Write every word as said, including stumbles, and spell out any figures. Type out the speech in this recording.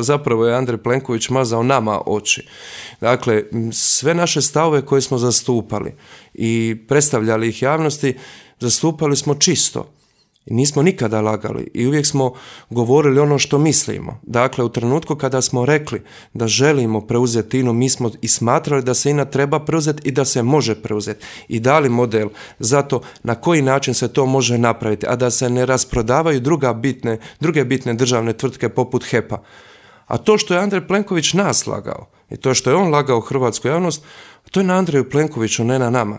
Zapravo je Andrej Plenković mazao nama oči. Dakle, sve naše stavove koje smo zastupali i predstavljali ih javnosti, zastupali smo čisto. I nismo nikada lagali i uvijek smo govorili ono što mislimo. Dakle, u trenutku kada smo rekli da želimo preuzeti INA-u, mi smo i smatrali da se INA treba preuzeti i da se može preuzeti. I dali model za to na koji način se to može napraviti, a da se ne rasprodavaju druga bitne, druge bitne državne tvrtke poput H E P-a. A to što je Andrej Plenković nas lagao i to što je on lagao hrvatsku javnost, to je na Andreju Plenkoviću, ne na nama.